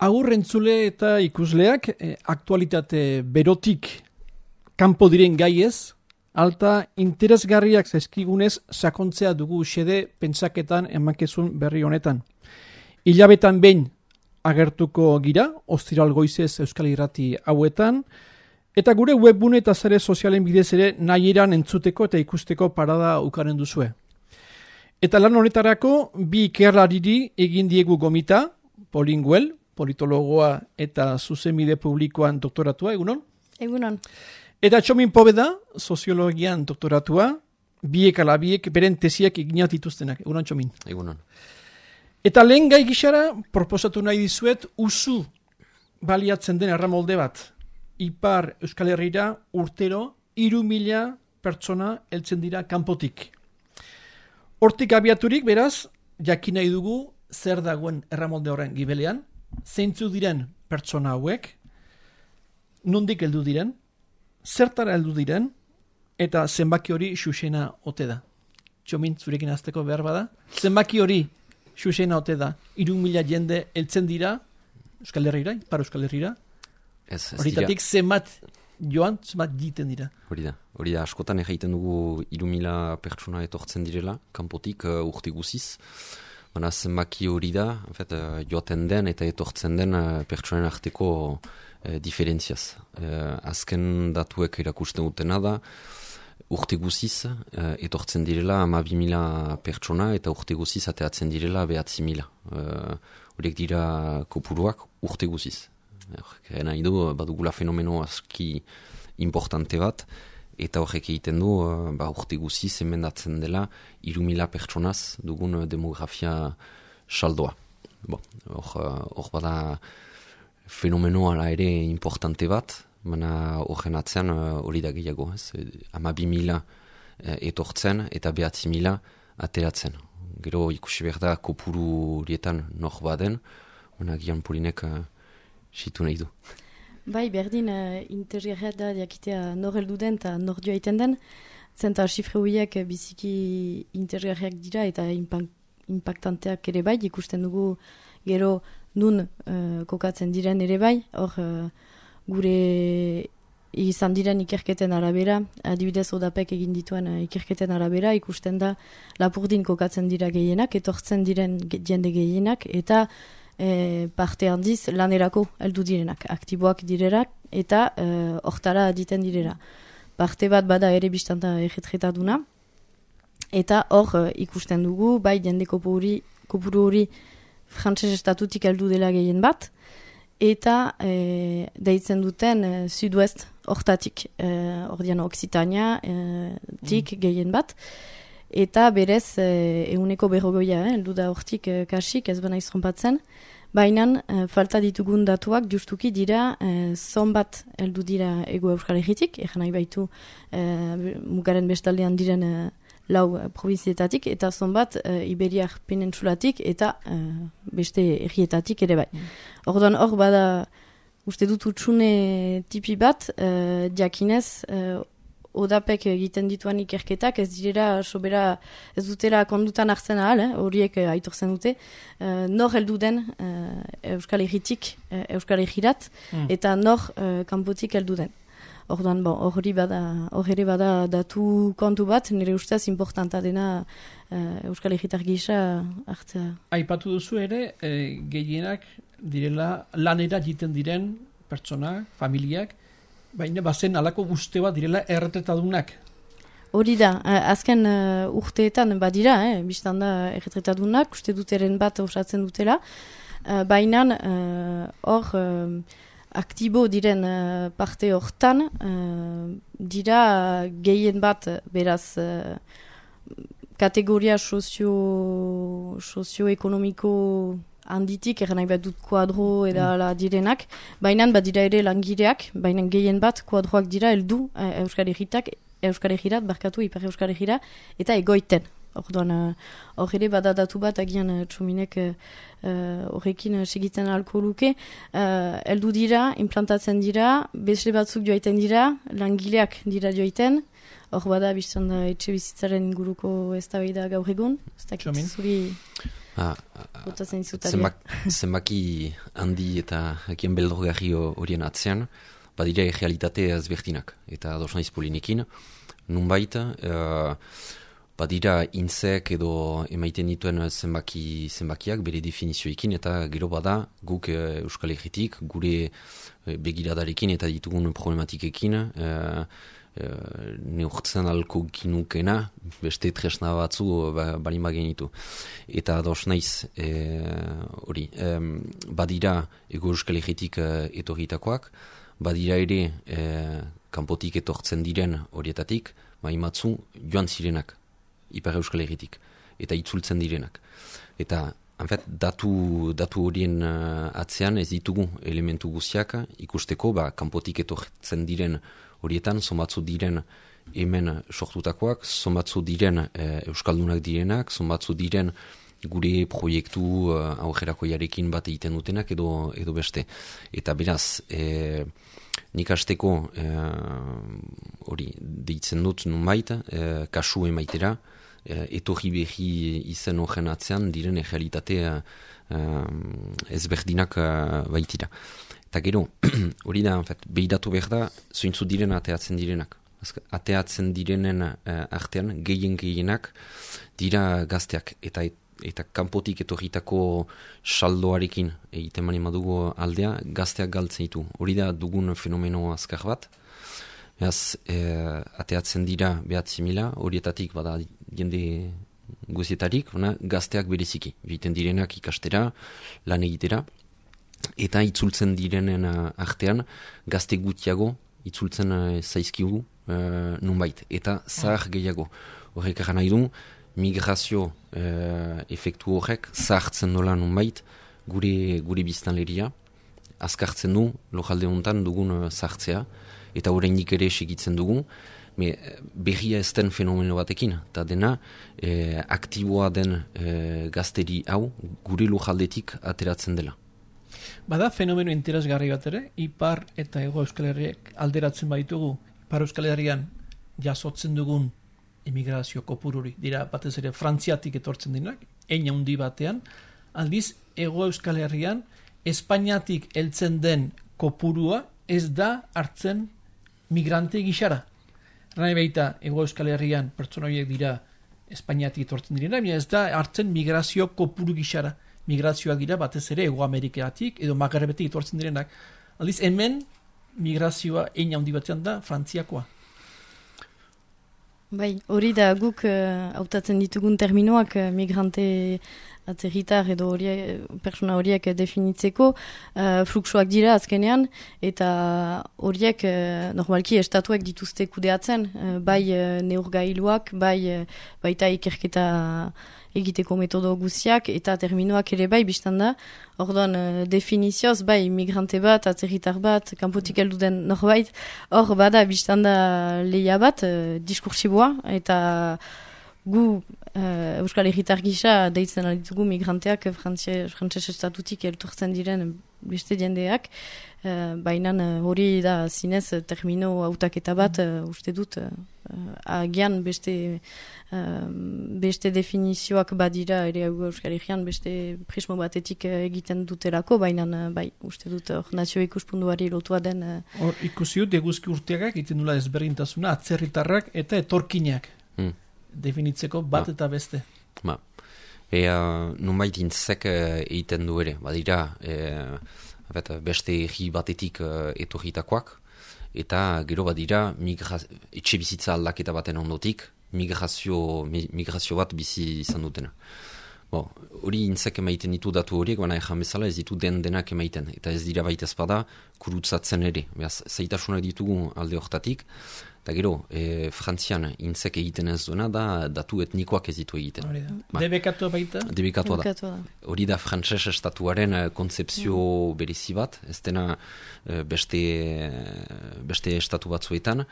Agur entzule eta ikusleak, aktualitate berotik kanpo diren gaiez, alta interesgarriak zaizkigunez sakontzea dugu xede pentsaketan emakezun berri honetan. Hilabetan behin agertuko gira, ostiral goizez Euskal Irrati hauetan, eta gure webbune eta zare sozialen bidez ere nahieran entzuteko eta ikusteko parada ukaren duzue. Eta lan honetarako bi ikerlariri egin diegu gomita, Polinguel, politologoa eta zuzenbide publikoan doktoratua, egunon? Egunon. Eta Txomin Pobeda, soziologian doktoratua, biek ala biek beren tesiak eginat dituztenak. Egunon, Txomin. Egunon. Eta lehen gai gixara, proposatu nahi dizuet, usu baliatzen den erramolde bat. Ipar Euskal Herrira urtero 3.000 pertsona heltzen dira kanpotik. Hortik abiaturik, beraz, jakin nahi dugu zer dagoen erramolde horren gibelean, zeintzu diren pertsona hauek, nondik heldu diren, zertara heldu diren, eta zenbaki hori xusena ote da. Txomin, zurekin azteko behar bada. Zenbaki hori xusena ote da. 3.000 jende heltzen dira Euskal Herrira, Ipar Euskal Herrira. Horitatik zenbat joan, zenbat jiten dira. Hori da, askotan egiten dugu 3.000 pertsona etortzen direla, kanpotik urte guziz. Baina zenbaki hori da, joaten den eta etortzen den pertsonen arteko diferentziaz. Azken datuek erakusten dutena da, urte guziz etortzen direla 12.000 pertsona eta urte guziz ateatzen direla 9.000. Horiek dira kopuruak urte guziz. Nahi du, badugula fenomeno aski importante bat, eta horrek egiten du, urte guziz emendatzen dela 3.000 pertsonaz dugun demografia saldoa. Hor bada fenomeno ala ere importante bat, baina horren atzean hori da gehiago. 12.000 etortzen eta 9.000 ateratzen. Gero ikusi behar da kopuru horietan nor baden, baina gian Polinek situ nahi du. Bai, berdin interesgarria da jakitea nor heldu den eta nor joa iten den, zenta xifre horiek biziki interesgarriak dira eta impactanteak ere bai, ikusten dugu gero nun kokatzen diren ere bai, hor gure izan diren ikerketen arabera, adibidez odapek egin dituen ikerketen arabera, ikusten da Lapurdin kokatzen dira gehienak, etortzen diren jende gehienak, eta parte handiz lanerako heldu direnak, aktiboak direnak eta hortara aditen direra. Parte bat bada ere biztanta erretretaduna eta hor ikusten dugu, bai jende kopuru hori frantses estatutik heldu dela gehien bat eta deitzen duten sud-ouest hortatik, ordian Occitania tik gehien bat. Eta berez, 150 heldu da hortik kasik, ez bana izronpatzen. Baina, falta ditugun datuak justuki dira, zonbat heldu dira Ego Euskal Herritik, nahi baitu mugaren bestaldean diren 4 provinzietatik, eta zonbat Iberiar Penentsulatik eta beste herrietatik ere bai. Orduan hor bada, uste dut utxune tipi bat, jakinez, odapek egiten dituan ikerketak ez direla sobera ez dutela kondutan hartzen ahal, horiek aitortzen dute, nor heldu den Euskal Herritik Euskal Herrirat eta nor kanpotik heldu den. Orduan, hor ere bada datu kontu bat, nire ustez importanta dena Euskal Herritar gisa hartzea. Aipatu duzu ere, gehienak direla lanera jiten diren pertsona, familiak, baina bazen alako guzte bat direla erretretadunak. Hori da, azken urteetan badira, biztan da erretretadunak, uste duteren bat osatzen dutela, baina hor aktibo diren parte hortan dira gehien bat beraz kategoria sozioekonomiko handitik, nahi bat dut kuadro edala direnak, baina badira ere langileak, baina gehien bat kuadroak dira heldu Euskal Herrirat, barkatu Ipar Euskal Herrira, eta egoiten. Orduan, hor ere badadatu bat agian Txominek horrekin segitzen ahalko luke, heldu dira, implantatzen dira, besle batzuk joaiten dira, langileak dira joaiten, hor bada biztan da etxe bizitzaren inguruko eztabaida gaur egun, ez dakit zuri Botatzen izutaria. Zenbaki handi eta hakien beldurgarri horien atzean, badira realitate ezberdinak. Eta ados naiz Polinekin, nunbait, badira intzek edo emaiten dituen zenbakiak bere definizioekin, eta gero bada guk Euskal Herritik, gure begiradarekin eta ditugun problematikekin, neurtzen alko ginukena, beste tresna batzu balin bagenitu. Eta ados naiz, badira Ego Euskal Herritik etorritakoak, badira ere kanpotik etortzen diren horietatik, maimatzu joan zirenak, Ipar Euskal Herritik, eta itzultzen direnak. Eta, datu horien atzean ez ditugu elementu guziak ikusteko, kanpotik etortzen diren horietan, zonbatzu diren hemen sortutakoak, zonbatzu diren Euskaldunak direnak, zonbatzu diren gure proiektu aurrerakoiarekin bat egiten dutenak edo beste. Eta beraz, nik hasteko hori deitzen dut nunbait, kasu emaitera, etorri behi izen horren atzean diren realitate ezberdinak baitira. Eta gero, hori da, behiratu behar da, zointzu diren ateatzen direnak. Ateatzen direnen artean, gehienak dira gazteak. Eta kanpotik etorritako saldoarekin egiten mani madugu aldea, gazteak galtzen ditu. Hori da dugun fenomeno azkar bat. Ateatzen dira 9.000, horietatik bada jende guzietarik, gazteak bereziki. Egiten direnak ikastera, lan egitera. Eta itzultzen direnen artean, gazte gutiago itzultzen zaizkigu nunbait. Eta zahar gehiago. Horrek eran nahi du, migrazio efektu horrek zahartzen dola nunbait gure biztanleria, azkartzen du lojalde honetan dugun zahartzea, eta oraindik ere segitzen dugu, berria ez den fenomeno batekin, eta dena aktiboa den gazteri hau gure lojaldetik ateratzen dela. Bada fenomeno interesgarri bat ere, Ipar eta Hego Euskal Herriak alderatzen baitugu, Ipar Euskal Herrian jasotzen dugun emigrazio kopururi, dira batez ere Frantziatik etortzen dinak, handi batean, aldiz Hego Euskal Herrian Espainiatik heltzen den kopurua ez da hartzen migrante gixara. Rai baita Hego Euskal Herrian pertsona horiek dira Espainiatik etortzen direna, ez da hartzen migrazio kopuru gixara. Migrazioak dira batez ere Hego Amerikatik edo Magrebetik etortzen direnak. Aldiz hemen migrazioa handi batean da Frantziakoa. Bai, hori da guk hautatzen ditugun terminoak migrante atzerritar edo persona horiek definitzeko fluxuak dira azkenean, eta horiek normalki estatuek dituzte kudeatzen, bai neurgailuak, baita ikerketa egiteko metodo guziak, eta terminoak ere bai biztan da. Orduan definizioz, bai migrante bat, atzerritar bat, kanpotik heldu den norbait, hor bada biztan da lehia bat, diskursiboa, eta gu Euskal Herritar gisa deitzen alditugu migranteak frantses estatutik elturtzen diren beste jendeak, baina hori da zinez termino hautaketa bat, uste dut agian beste definizioak badira ere Euskal Herrian beste prismo batetik egiten dutelako, baina bai, uste dut nazio ikuspunduari lotua den. Hor ikusi dut eguzki urteagak egiten dula ezberdintasuna atzerritarrak eta etorkinak. Definitzeko bat eta beste. Nunbait intzek egiten du ere, badira beste egi batetik etorritakoak, eta gero badira etxe bizitza aldaketa baten ondotik migrazio bat bizi izan dutena. Hori intzek emaiten ditu datu horiek, baina ejan bezala ez ditu denak emaiten, eta ez dira baita ezpada kurutzatzen ere. Zaitasunak ditugu alde hortatik, eta gero, Frantzian intzek egiten ez duena da datu etnikoak ez ditu egiten. Debekatua baita? Debekatua da. Hori da frantses estatuaren kontzepzio berezi bat, ez dena beste estatu batzuetan.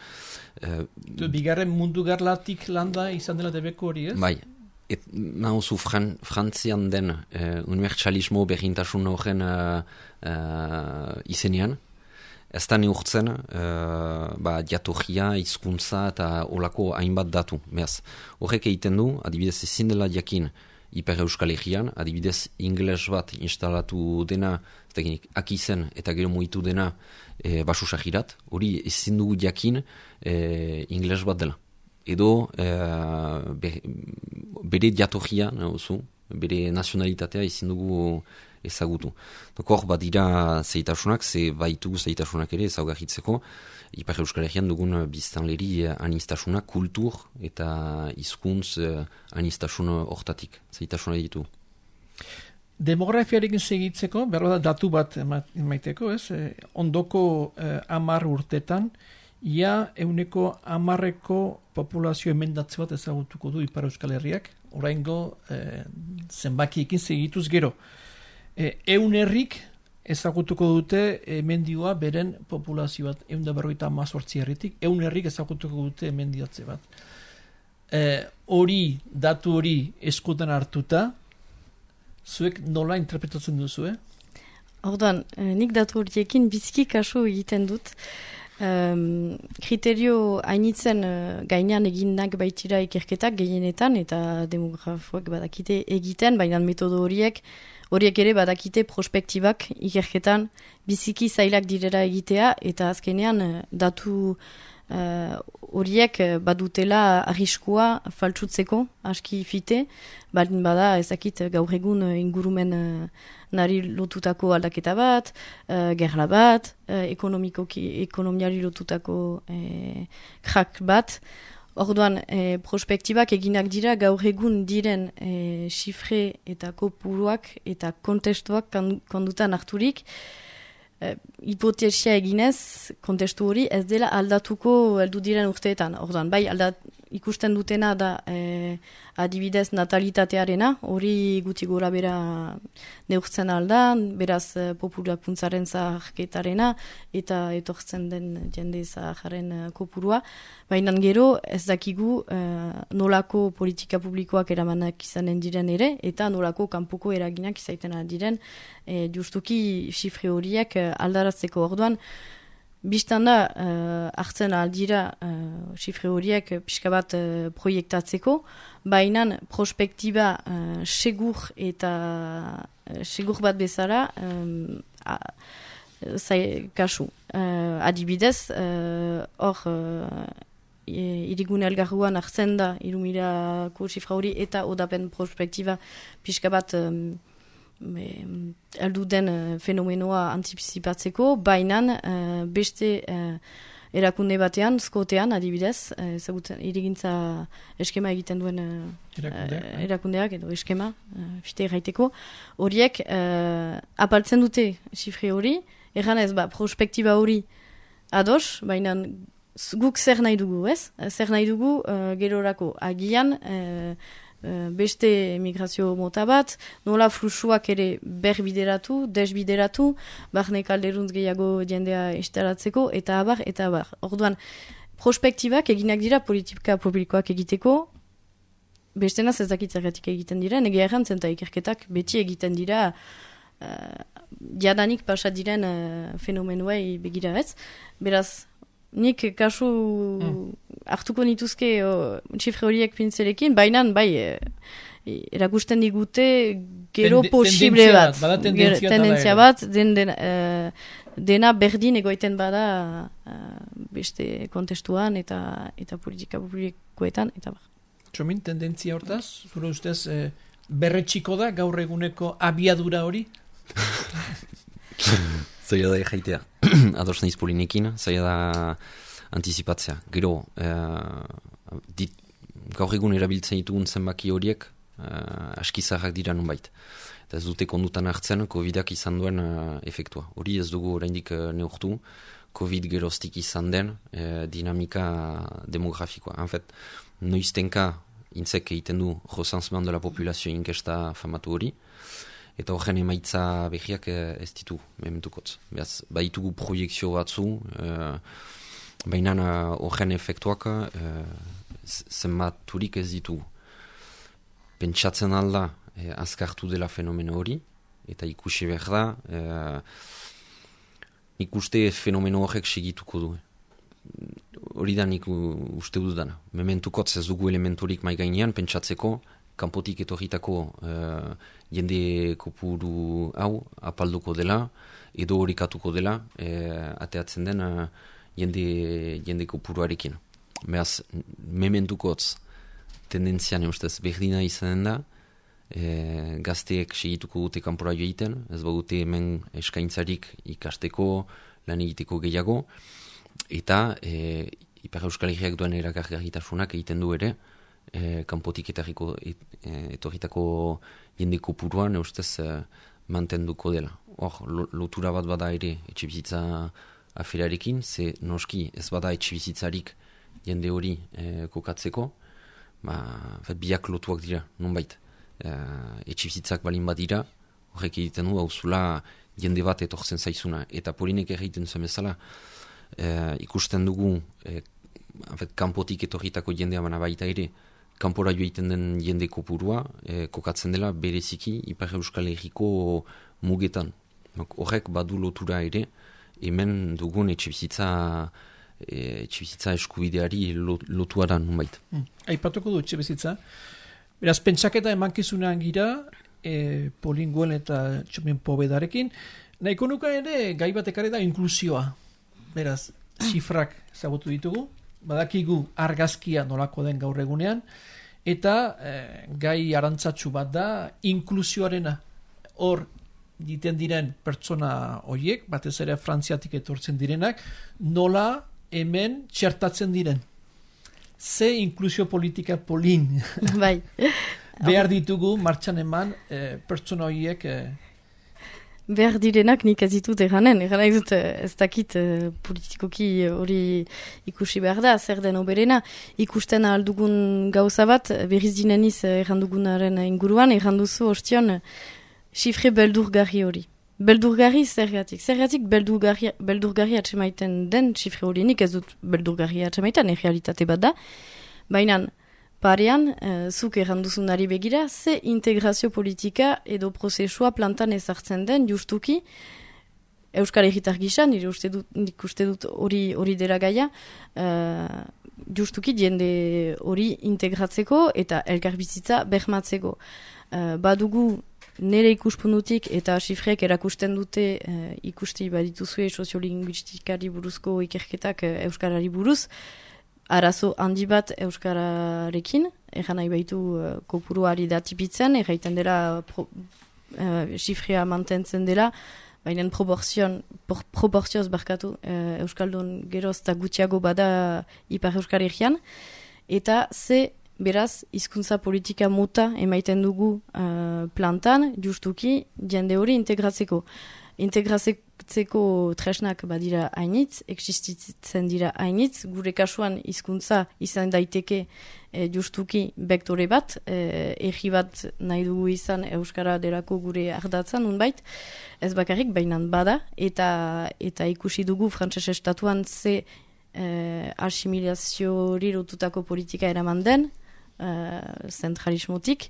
Bigarren mundu garlatik landa izan dela debeko hori ez? Bai. Nahuzu Frantzian den unibertsalismo berdintasun horren izenean, ez da neurtzen jatorria, hizkuntza eta olako hainbat datu. Horrek egiten du, adibidez ezin dela jakin Ipar Euskal Herrian, adibidez ingles bat instalatu dena, akizen eta gero mugitu dena Basosagirat, hori ezin dugu jakin ingles bat dela. Edo bere jatorria, bere nazionalitatea ezin dugu ezagutu. Hor bat dira zeitasunak, ze baitu zeitasunak ere ezaugarritzeko, Ipar Euskal Herrian dugun biztanleri anistasuna, kultur eta hizkuntz anistasun hortatik, zeitasuna ditu. Demografiarekin segitzeko, berro da datu bat emaiteko, ez? Ondoko 10 urtetan, ia 10% populazio emendatze bat ezagutuko du Ipar Euskal Herriak, oraingo zenbakiekin segituz gero. 100 herrik ezagutuko dute emendioa beren populazio bat, 158 herritik, 100 herrik ezagutuko dute emendiatze bat. Datu hori eskutan hartuta, zuek nola interpretatzen duzu, Orduan, nik datu horiekin biziki kasu egiten dut. Kriterio hainitzen gainean eginak baitira ikerketak gehienetan eta demografoak badakite egiten, baina metodo horiek ere badakite prospektibak ikerketan biziki zailak direra egitea eta azkenean datu horiek badutela arriskua faltsutzeko aski fite, baldin bada ezakit gaur egun ingurumen nari lotutako aldaketa bat, gerla bat, ekonomiari lotutako krak bat. Orduan, prospektibak eginak dira gaur egun diren xifre eta kopuruak eta kontestuak kondutan harturik, hipotesia eginez, kontestu hori ez dela aldatuko heldu diren urteetan. Orduan, bai ikusten dutena da adibidez natalitatearena, hori guti gora bera neurtzen aldan, beraz populakuntzaren zaharketarena eta etortzen den jende zaharen kopurua. Baina gero ez dakigu nolako politika publikoak eramanak izanen diren ere, eta nolako kanpoko eraginak izaiten diren justuki xifre horiek aldaratzeko. Orduan, biztan da, hartzen aldira xifre horiek pixka bat proiektatzeko, baina prospektiba segur eta segur bat bezala kasu. Adibidez, hor irigune elgarruan hartzen da 3000ko xifra hori eta odapen prospektiba pixka bat aldu den fenomenoa anticipatzeko, baina beste erakunde batean, Skotean adibidez, irigintza eskema egiten duen erakundeak edo eskema, fite erraiteko, horiek apaltzen dute xifre hori, erranez prospektiba hori ados, baina guk zer nahi dugu, ez? Zer nahi dugu gerorako agian beste emigrazio mota bat, nola fluxuak ere berbideratu, desbideratu, barne kalderuntz gehiago jendea instalatzeko, eta abar, eta abar. Orduan, prospektibak eginak dira politika publikoak egiteko, bestenaz ez dakit zergatik egiten dira, nege errantzen eta ikerketak beti egiten dira jadanik pasat diren fenomenuei begira ez. Beraz, nik kasu hartuko nituzke txifre horiek pintzelekin, baina bai erakusten digute gero posible bat. Tendentzia bat, dena berdin egoiten bada beste kontestuan eta politika publikoetan. Txomin, tendentzia hortaz, zure ustez berretxiko da gaur eguneko abiadura hori? Zaila da jaitea, ados nahiz polinekin, zaila da antizipatzea. Gero, gaur egun erabiltzen ditugun zenbaki horiek askizarrak dira nunbait. Eta ez dute kondutan hartzen COVID-ak izan duen efektua. Hori ez dugu oraindik neurtu, COVID geroztik izan den dinamika demografikoa. En fait, noiztenka intzek egiten du recensement de la populazio inkesta famatu hori, eta horren emaitza behiak ez ditu, mementukotz. Beaz, baitugu proiekzio batzu, baina horren efektuak zenbaturik ez ditugu. Pentsatzen alda azkartu dela fenomeno hori, eta ikusi behar da, ikuste fenomeno horrek segituko du. Hori da nik uste dudana. Mementukotz ez dugu elementurik mai gainean, pentsatzeko kanpotik etorritako jende kopuru hau apalduko dela, edo horikatuko dela, ateatzen den jende kopuruarekin. Beraz, mementukotz tendentzian ustez berdina izanen da, gazteek segituko dute kanpora joiten, ez badute hemen eskaintzarik ikasteko, lan egiteko gehiago, eta Ipar Euskal Herriak duen erakargarritasunak egiten du ere, kanpotik etorritako jende kopuruan ustez mantenduko dela. Hor, lotura bat bada ere etxebizitza aferarekin, ze noski ez bada etxebizitzarik jende hori kokatzeko, biak lotuak dira, nonbait. Etxibizitzak balin bat dira, horrek egiten du, hauzula jende bat etortzen zaizuna. Eta Polinek egiten zuen bezala, ikusten dugu, kanpotik etorritako jendea bana baita ere, kanpora joiten den jende kopurua, kokatzen dela bereziki Ipar Euskal Herriko mugetan. Horrek badu lotura ere, hemen dugun etxebizitza eskubideari lotua da nunbait. Aipatuko du etxebizitza. Beraz, pentsaketa emankizunean gira, Polinguen eta Txomin Povedarekin, nahiko nuka ere gai bat ekarri da inklusioa. Beraz, zifrak zagutu ditugu, badakigu argazkia nolako den gaur egunean, eta gai arantzatsu bat da inklusioarena. Hor, diten diren pertsona horiek, batez ere Frantziatik etortzen direnak, nola hemen txertatzen diren. Ze inklusio politika Polin. Bai. Behar ditugu martxan eman pertsona horiek... Behar direnak nik ez ditut eranen dut ez dakit politikoki hori ikusi behar da, zer den oberena. Ikusten aldugun gauza bat, berriz dineniz errandugunaren inguruan, erranduzu ostion xifre beldurgarri hori. Beldurgarri zergatik. Zergatik beldurgarri atsemaiten den xifre hori, nik ez dut beldurgarri atsemaiten, errealitate bat da. Baina parean, zuk erranduzunari begira, ze integrazio politika edo prozesua plantan ezartzen den justuki, Euskal Herritar gisa, nik uste dut hori dela gaia, justuki jende hori integratzeko eta elkarbizitza bermatzeko. Badugu nire ikuspunutik eta xifreek erakusten dute ikusti badituzue soziolinguistikari buruzko ikerketak Euskarari buruz, arazo handi bat Euskararekin, egan nahi baitu kopuruari datipitzen, erraiten dela xifrea mantentzen dela, baina proportzioz barkatu Euskaldun geroz eta gutxiago bada Ipar Euskal Herrian, eta ze beraz hizkuntza politika mota emaiten dugu plantan, justuki jende hori integratzeko. Integratzeko tresnak badira hainitz, existitzen dira hainitz, gure kasuan hizkuntza izan daiteke justuki bektore bat, erri bat nahi dugu izan Euskara delako gure ardatzan, unbait, ez bakarrik bainan bada, eta ikusi dugu frantses estatuan ze asimilazioari lotutako politika eraman den, zentralismotik,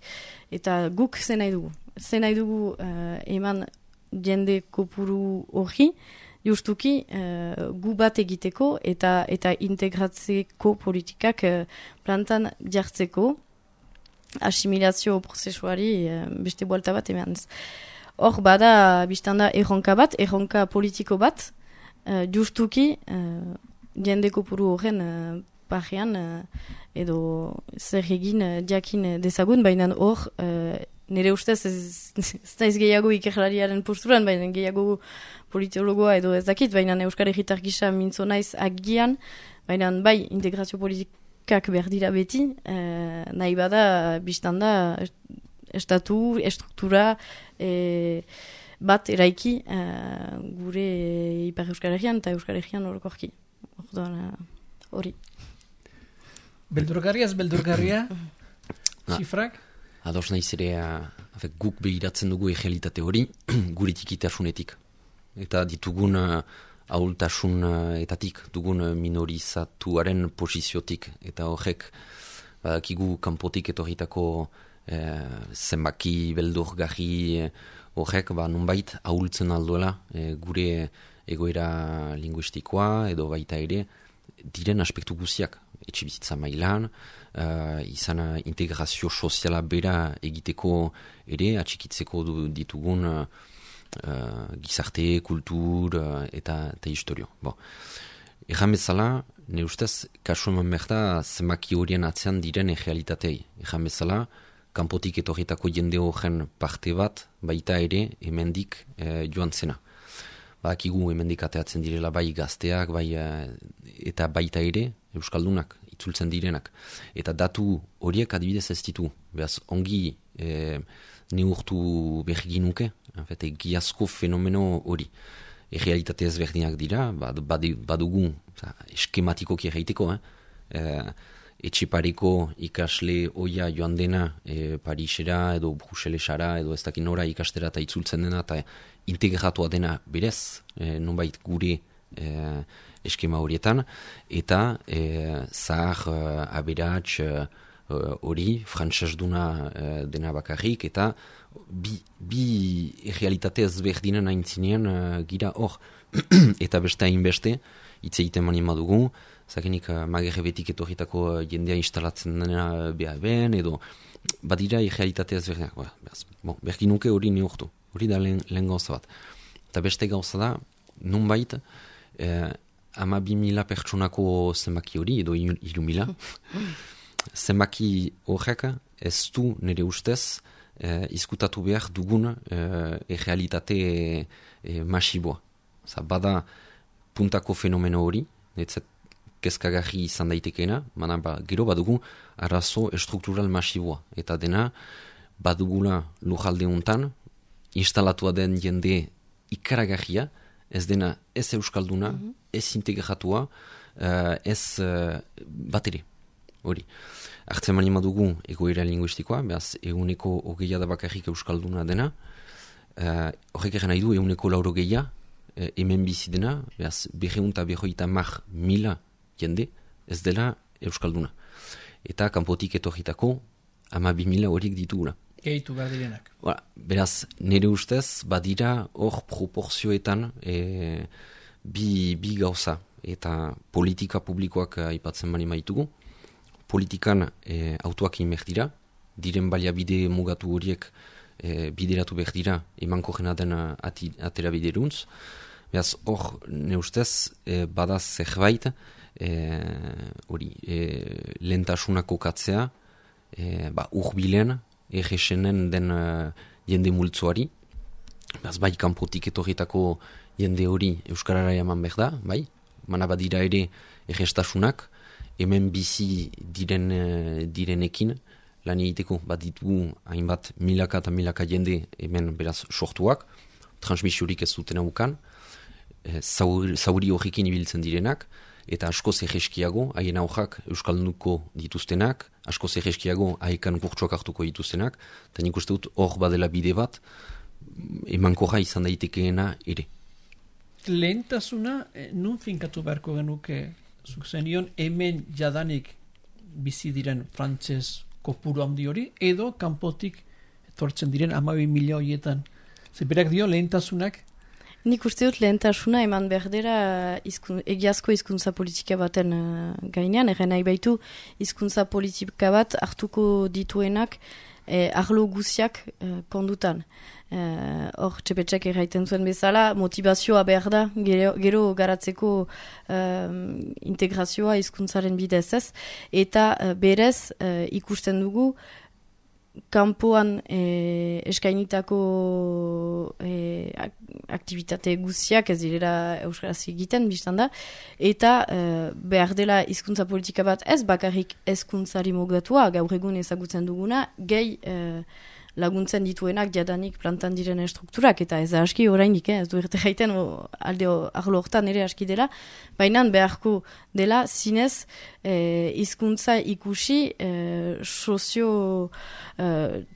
eta guk ze nahi dugu. Ze nahi dugu eman jende kopuru hori, justuki gu bat egiteko eta integratzeko politikak plantan jartzeko asimilazio prozesuari beste buelta bat emanez. Hor bada biztanda erronka bat, erronka politiko bat, justuki jende kopuru horren parrean edo zer egin jakin dezagun, baina hor nire ustez ez naiz gehiago ikerlariaren posturan, baina gehiago politologoa edo ez dakit, baina Euskal Herritar gisa mintzo naiz agian, baina bai integrazio politikak behar dira beti, nahi bada biztanda estatu, estruktura bat eraiki gure Ipar Euskal Herrian eta Euskal Herrian orokorki. Hori. Beldurgarria ez beldurgarria? Zifrak? Ados nahiz ere, guk behiratzen dugu errealitate hori, gure tikitasunetik. Eta ditugun ahultasunetatik, dugun minorizatuaren posiziotik. Eta horrek, badakigu kanpotik etorritako zenbaki beldurgarri horrek, nonbait ahultzen alduela gure egoera linguistikoa edo baita ere, diren aspektu guziak, etxebizitza mailan, izan integrazio soziala bera egiteko ere, atxikitzeko ditugun gizarte, kultur eta historio. Bon. Egan bezala, ne ustez, kasu eman behar da, zenbaki horien atzean diren errealitatei. Egan bezala, kanpotik etorritako jende horren parte bat, baita ere, hemendik joan zena. Badakigu hemendik ateatzen direla bai gazteak, bai, eta baita ere, euskaldunak, itzultzen direnak. Eta datu horiek adibidez ez ditu. Beraz, ongi neurtu behar nuke, egiazko fenomeno hori. Errealitate ezberdinak dira, badugu eskematikoki erraiteko, etxepareko ikasle oia joan dena Parisera edo Bruselesara edo ez dakin nora ikastera eta itzultzen dena eta integratua dena berez, nonbait gure eskema horietan, eta zahar aberats hori, frantsesduna dena bakarrik, eta bi realitate ezberdinen aintzinean gira hor, eta beste hainbeste, hitz egiten mani madugu, zakenik magerrebetik etorritako jendea instalatzen dena BAB-en, edo badira realitate ezberdinak. Berkin nuke hori neurtu, hori da lehen gauza bat. Eta beste gauza da, nunbait, 12.000 pertsonako zenbaki hori, edo 3.000, zenbaki horrek ez du nire ustez izkutatu behar dugun realitate masiboa. Bada puntako fenomeno hori, netzat kezkagarri izan daitekeena, gero badugu arazo estruktural masiboa. Eta dena badugula lujalde hontan, instalatua den jende ikaragarria, ez dena ez euskalduna, ez integratua, ez batere. Hori. Artzen mani madugu egoera linguistikoa, behaz eguneko 20 da bakarrik euskalduna dena, horrek egin nahi du eguneko 80 hemen bizi dena, behaz 250.000 jende ez dela euskalduna. Eta kanpotik etorritako 12.000 horiek ditugula. Gehitu behar direnak. Beraz, nire ustez, badira hor proporzioetan bi gauza. Eta politika publikoak aipatzen bani maitugu. Politikan autoak inber dira, diren baliabide mugatu horiek bideratu behar dira emanko jena den atera bideruntz. Beraz, hor, ne ustez, badaz zerbait, lehentasunako katzea, urbilen, erresenen den jende multzoari. Beraz, bai, kanpotik etorritako jende hori euskarara eman behar da, bai, mana badira ere errestasunak, hemen bizi direnekin lan egiteko bat ditugu hainbat milaka eta milaka jende hemen beraz sortuak, transmisiorik ez dutena ukan, zauri horrekin ibiltzen direnak, eta askoz egeskiago, haien aurrak euskalduko dituztenak, askoz egeskiago haiekan kurtsuak hartuko dituztenak, eta nik uste dut hor badela bide bat, emankorra izan daitekeena ere. Lehentasuna, nun finkatu beharko genuke zukzenion, hemen jadanik bizi diren frantses kopuru handi hori, edo kanpotik etortzen diren 12.000 horietan. Zeberak dio lehentasunak? Nik uste dut lehentasuna eman berdera egiazko hizkuntza politika baten gainean, egen nahi baitu hizkuntza politika bat hartuko dituenak arlo guziak kondutan. Hor, txepetxek erraiten zuen bezala, motivazioa behar da, gero garatzeko integrazioa hizkuntzaren bidez ez, eta berez ikusten dugu kanpoan eskainitako aktivitate guziak ez direla euskaraz egiten, biztan da, eta behar dela hizkuntza politika bat ez bakarrik hezkuntzari mugatua, gaur egun ezagutzen duguna, gehi laguntzen dituenak jadanik plantan diren strukturak, eta ez da aski orainik, ez du erte gaiten alde arlo hortan ere aski dela, baina beharko dela zinez hizkuntza ikusi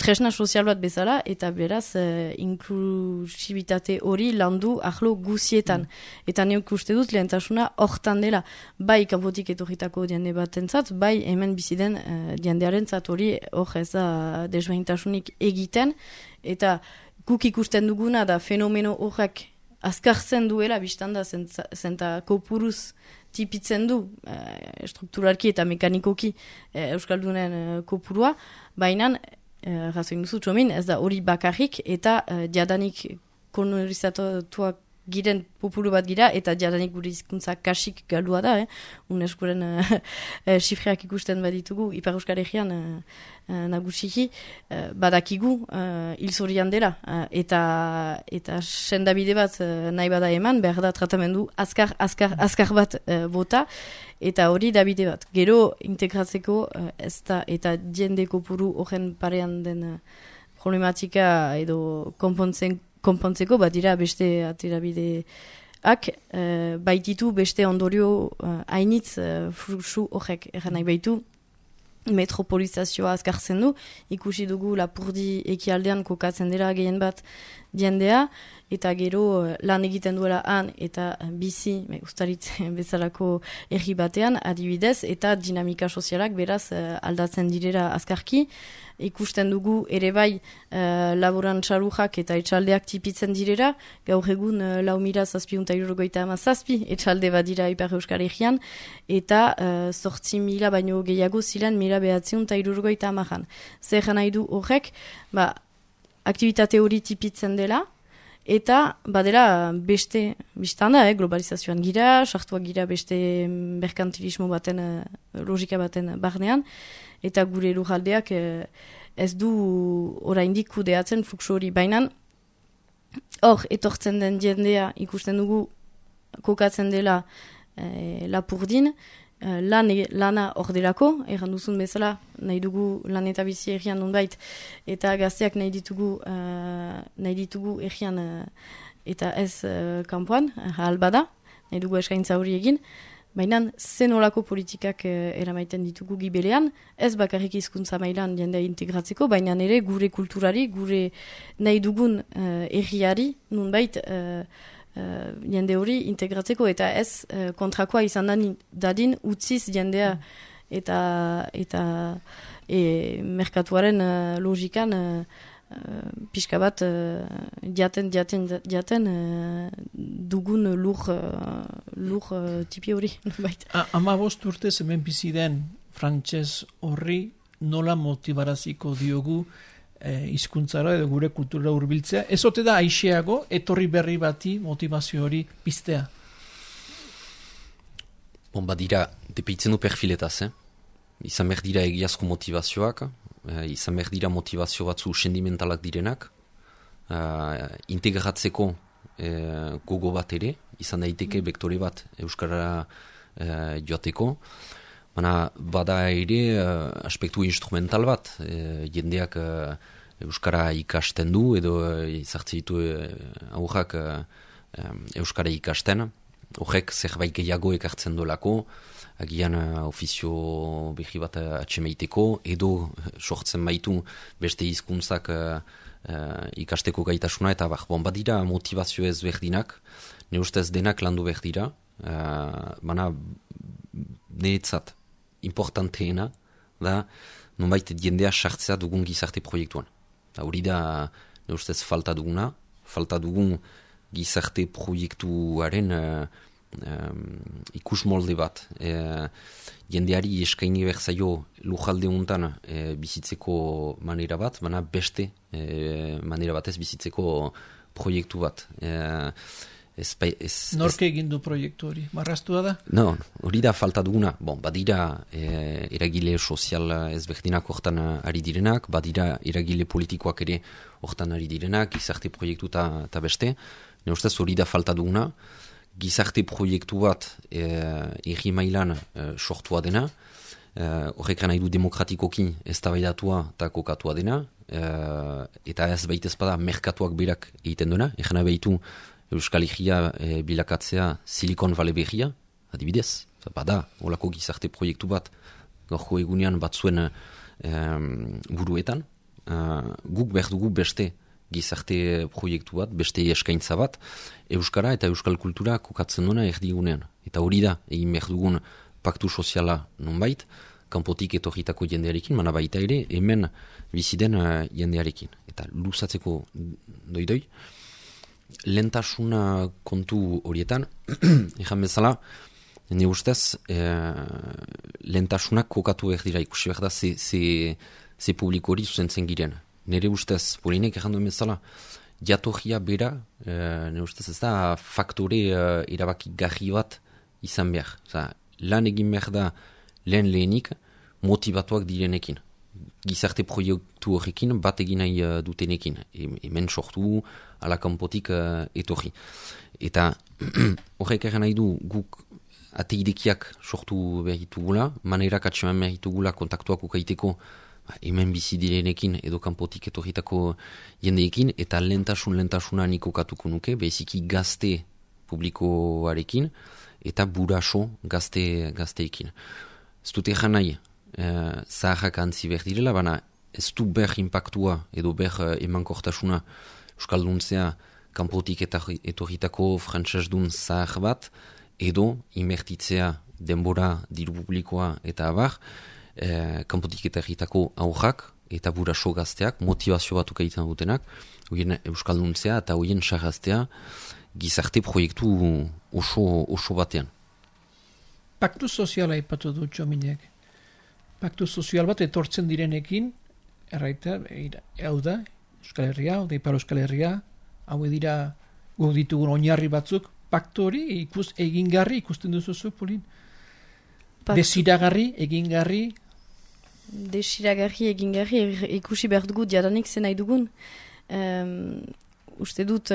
tresna sozial bat bezala, eta beraz inklusibitate hori landu arlo guzietan. Eta neuk uste dut lehentasuna hortan dela, bai kanpotik etorritako jende batentzat, bai hemen biziden jendearen zat hori hor ez da desberdintasunik egiten, eta guk ikusten duguna da fenomeno horrek azkartzen duela, biztan da zenta kopuruz tipitzen du strukturalki eta mekanikoki Euskaldunen kopurua, baina razoin duzu txomin, ez da hori bakarrik eta jadanik kolorizatuak giren populu bat gira, eta jadanik gure hizkuntza kasik galdua da, UNESCOren xifreak ikusten baditugu, Ipar Euskal Herrian nagusiki, badakigu hilzorian dela, eta sendabide bat nahi bada eman, behar da tratamendu azkar bat bota, eta hori da bide bat. Gero integratzeko ez da, eta jende kopuru horren parean den problematika edo konpontzeko, badira beste aterabideak, baititu beste ondorio hainitz fluxu horrek, erran nahi baitu, metropolizazioa azkartzen du, ikusi dugu Lapurdi ekialdean kokatzen dira gehien bat jendea, eta gero lan egiten duela han eta bizi, ustaritzen bezalako erri batean, adibidez, eta dinamika sozialak beraz aldatzen direra azkarki. Ikusten dugu ere bai laborantxarujak eta etxaldeak tipitzen direra, gaur egun 4.657 etxalde bat dira Ipar Euskal Herrian, eta 8.000 baino gehiago ziren 1.960. Zer nahi du horrek, aktivitate hori tipitzen dela, eta badela beste biztan da, globalizazioan gira, sartuak gira beste merkantilismo baten, logika baten barnean, eta gure lurraldeak ez du oraindik kudeatzen fluxu hori. Baina hor etortzen den jendea ikusten dugu kokatzen dela Lapurdin, lana hor delako, erran duzun bezala, nahi dugu lan eta bizi errian nonbait, eta gazteak nahi ditugu errian eta ez kanpoan, albada, nahi dugu eskaintza hori egin, baina zen olako politikak eramaiten ditugu gibelean, ez bakarrik hizkuntza mailan jendea integratzeko, baina ere gure kulturari, gure nahi dugun erriari, nonbait jende hori integratzeko, eta ez kontrakoa izan dadin utziz jendea eta merkatuaren logikan pixka bat jaten dugun lur tipi hori. 15 urtez hemen bizi den frantses horri nola motibaraziko diogu hizkuntzara edo gure kultura hurbiltzea, ez ote da aixeago etorri berri bati motivazio hori piztea? Badira, depeitzen du perfiletaz, izan behar dira egiazko motivazioak, izan behar dira motivazio batzu sendimentalak direnak, integratzeko gogo bat ere, izan daiteke bektore bat Euskara joateko, bada ere aspektu instrumental bat, jendeak Euskara ikasten du, edo izartzen ditu aurrak Euskara ikasten, horrek zerbait gehiago ekartzen dolako, agian ofizio behi bat atxemeiteko, edo sortzen baitu beste hizkuntzak ikasteko gaitasuna, eta badira motivazio ez berdinak, ne ustez denak landu berdira, niretzat importanteena da nonbait jendea sartzea dugun gizarte proiektuan. Hori da ne ustez falta dugun gizarte proiektuaren ikus molde bat. Jendeari eskaini berzaio lujalde untan bizitzeko manera bat, beste manera batez bizitzeko proiektu bat. Norke egin du proiektu hori? Marraztua da? No, hori da falta duguna. Badira eragile sozial ezberdinak hortan ari direnak, badira eragile politikoak ere hortan ari direnak, gizarte proiektu eta beste. Ne ustez hori da falta duguna. Gizarte proiektu bat erri mailan sortua dena, horrek nahi du demokratikoki eztabaidatua eta kokatua dena, eta ez baitez bada merkatuak berak egiten duena, egin behitu Euskal Herria bilakatzea Silicon Valley berria, adibidez, bada olako gizarte proiektu bat gaurko egunean batzuen buruetan, guk behar dugu beste gizarte proiektu bat, beste eskaintza bat, Euskara eta Euskal kultura kokatzen duena erdigunean. Eta hori da, egin behar dugun paktu soziala nonbait, kanpotik etorritako jendearekin, baita ere, hemen biziden jendearekin. Eta luzatzeko doidoi, lehentasuna kontu horietan, ezan bezala, Ne ustez, lehentasunak kokatu behar dira, ikusi behar da, ze publiko hori zuzentzen giren. Nire ustez, Polinek errandu emezala, jatorria bera, nire ustez ez da, faktore erabaki garri bat izan behar. Lan egin behar da lehenik motivatuak direnekin. Gizarte proiektu horrekin bat egin nahi dutenekin. Hemen sortu, ala kanpotik etorri. Eta horrek erran nahi du guk ateidekiak sortu behar ditugula, manerak atseman behar ditugula kontaktuak ukaiteko hemen bizi direnekin edo kanpotik etorritako jendeekin, eta lehentasuna nik okatuko nuke, beziki gazte publikoarekin, eta buraso gazteekin. Ez dut egan nahi, zaharrak antzi behar direla, baina ez du behar impactua edo behar emankortasuna euskalduntzea kanpotik etorritako frantsesdun zahar bat, edo inbertitzea denbora diru publikoa eta abar, kanpotik etorritako aurrak eta buraso gazteak, motivazio batuk egiten dutenak, hoien euskalduntzea eta hoien sarraztea gizarte proiektu oso batean. Paktu soziala ipatu du Txominek. Paktu sozial bat etortzen direnekin, erraita, hau da, Euskal Herria, hau da Ipar Euskal Herria, hau dira guk ditugun oinarri batzuk, paktu hori egingarri ikusten duzu, Polin? Desiragarri, egingarri? Desiragarri, egingarri, ikusi behar dugu diadanik zen nahi dugun. Uste dut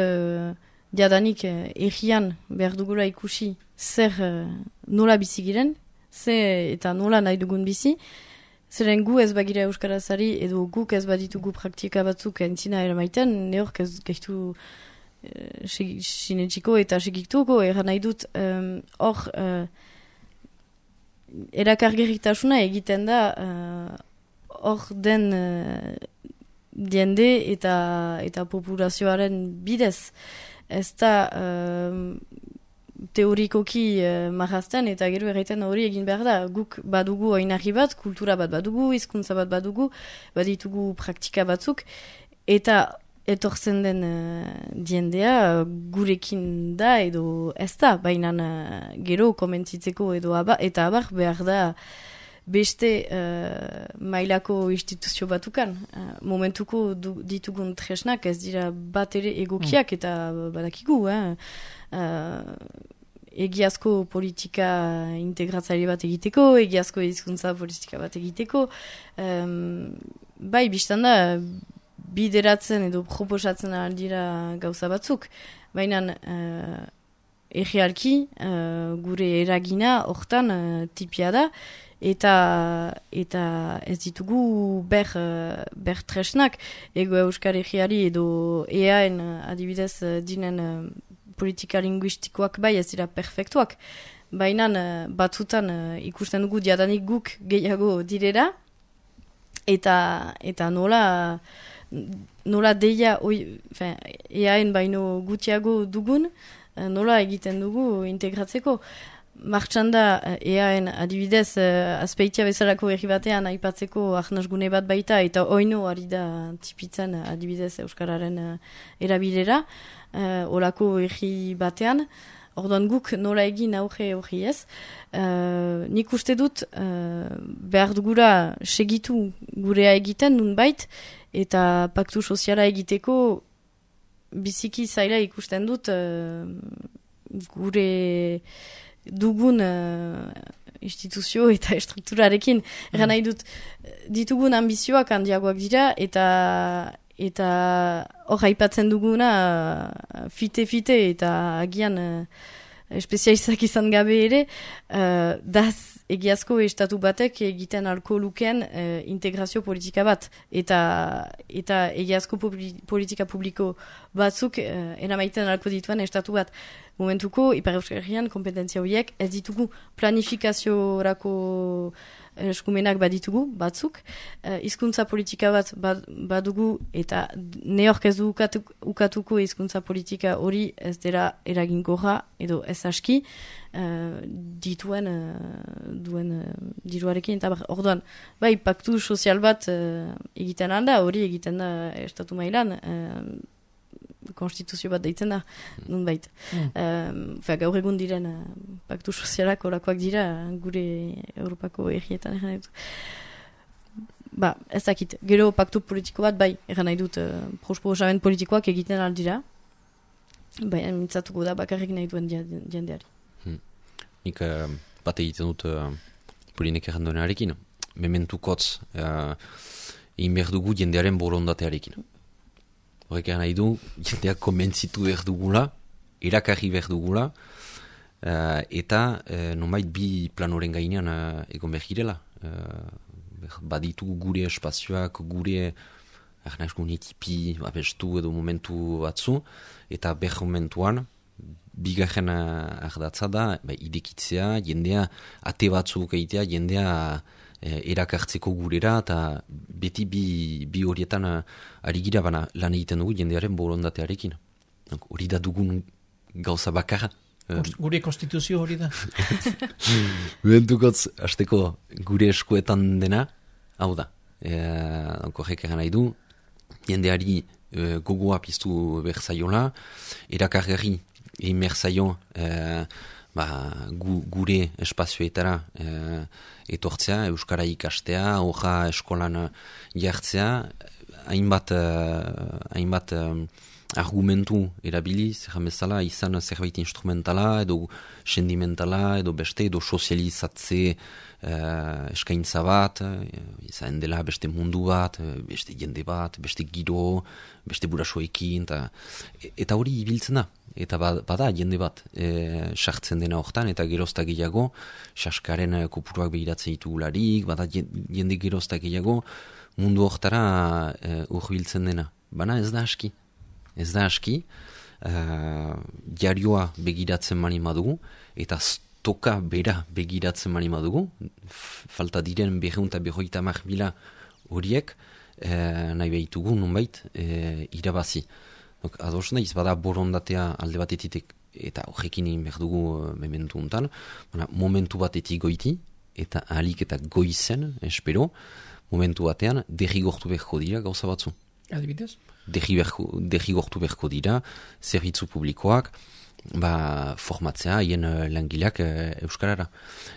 diadanik errian behar dugula ikusi zer nola bizi giren, eta nola nahi dugun bizi, zeren gu ez bagira euskarazari edo guk ez baditugu praktika batzuk entzina eramaiten, neork ez gehitu sinetxiko eta segiktuko, erran nahi dut hor erakargerritasuna egiten da hor den diende eta populazioaren bidez. Ez da teorikoki marrazten eta gero erraiten hori egin behar da. Guk badugu oinarri bat, kultura bat badugu, hizkuntza bat badugu, baditugu praktika batzuk, eta etortzen den diendea gurekin da edo ez da, baina gero komentzitzeko edo eta abar behar da beste mailako instituzio batukan. Momentuko ditugun tresnak ez dira bat ere egokiak eta badakigu, egiazko politika integratzaile bat egiteko, egiazko hizkuntza politika bat egiteko, bai, biztan da, bideratzen edo proposatzen aldira gauza batzuk, baina errealki gure eragina hortan tipia da, eta ez ditugu ber tresnak, ego Euskal Herriari edo EAen adibidez dinen politika linguistikoak bai ez dira perfektuak, baina batzutan ikusten dugu diadanik guk gehiago direra, eta nola deia EAen baino gutxiago dugun, nola egiten dugu integratzeko. Martxan da EAen adibidez azpeitia bezalako herri batean aipatzeko ahnasgune bat baita eta oino ari da tipitzen adibidez Euskararen erabilera olako herri batean. Orduan guk nola egin aurre hori ez. Nik uste dut behar dugula segitu gurea egiten nunbait eta paktu soziala egiteko biziki zaila ikusten dut gure dugun instituzio eta estrukturarekin. Eran nahi dut ditugun ambizioak handiagoak dira eta hor haipatzen duguna fite eta agian espezializak izan gabe ere daz egiazko estatu batek egiten alko lukeen integrazio politika bat eta egiazko politika publiko batzuk eramaiten alko dituen estatu bat. Momentuko, Ipar Euskal Herrian kompetentzia horiek ez ditugu planifikaziorako eskumenak baditugu batzuk, hizkuntza politika bat badugu eta neork ez du ukatuko hizkuntza politika hori ez dela eraginkorra edo ez aski duen diruarekin eta orduan, bai, paktu sozial bat egiten alda, hori egiten da estatu mailan, konstituzio bat deitzen da, nunbait. Gaur egun diren paktu sozialak olakoak dira gure Europako errietan egan nahi dut. Ez dakit, gero paktu politiko bat bai, egan nahi dut proposamen politikoak egiten aldira, baina mintzatuko da bakarrik nahi duen jendeari. Nik bat egiten dut Polinek erran duenarekin, mementukotz egin behar dugu jendearen borondatearekin. Horrek nahi du, jendeak konbentzitu behar dugula, erakarri behar dugula, eta nonbait bi planoren gainean egon behar girela. Baditu gure espazioak, gure etipi, abestu edo momentu batzu, eta behar momentuan, bigarren ardatza da, idekitzea, jendea ate batzuk egitea, jendea erakartzeko gurera, eta beti bi horietan ari gira bana lan egiten dugu jendearen borondatearekin. Hori da dugun gauza bakarra. Gure konstituzio hori da. Bentukotz, hasteko gure eskuetan dena, hau da. Horrek egan nahi du, jendeari gogoa piztu behar zaiola, erakargarri egin behar zaio gure espazioetara etortzea, euskara ikastea, hoja eskolan jartzea, hainbat argumentu erabiliz, bezala, izan zerbait instrumentala, edo sendimentala, edo beste, edo sozializatze eskaintza bat, izan dela beste mundu bat, beste jende bat, beste giro, beste burasoekin, eta hori ibiltzen da. Eta bada jende bat sartzen dena hortan, eta gerozta gehiago, saskaren kopuruak behiratzen ditugularik, bada jende gerozta gehiago, mundu hortara urbiltzen dena. Bana ez da aski. Ez da aski, diarioa begiratzen mani madugu, eta stoka bera begiratzen mani madugu, falta diren 250.000 horiek, nahi behitugu nonbait irabazi. Ados naiz, bada borondatea alde batetik, eta horrekin behar dugu mementu untan, momentu batetik goiti, eta ahalik eta goizen, espero, momentu batean, derrigortu beharko dira gauza batzu. Adibidez? Derrigortu beharko dira, zerbitzu publikoak, formatzea, haien langileak euskarara.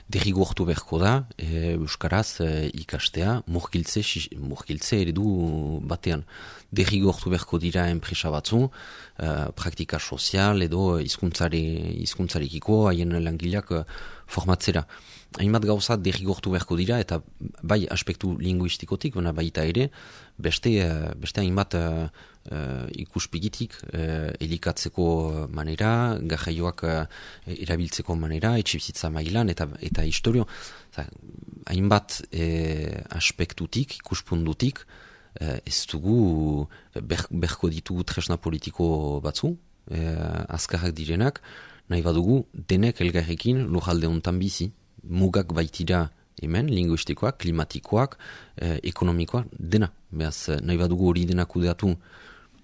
Derrigortu beharko da, euskaraz ikastea, murgiltze eredu batean. Derrigortu beharko dira enpresa batzu, praktika sozial edo hizkuntzarekiko haien langileak formatzera. Hainbat gauza derrigortu beharko dira, eta bai aspektu linguistikotik, baita ere, beste hainbat ikuspigitik elikatzeko manera, garraioak erabiltzeko manera, etxibizitza mailan, eta historio. Hainbat aspektutik, ikuspundutik, ez dugu berko ditugu tresna politiko batzu, azkarrak direnak, nahi badugu denek elgarrekin lujalde hontan bizi, mugak baitira hemen, linguistikoak, klimatikoak, ekonomikoak, dena. Beaz, nahi badugu hori dena kudeatu,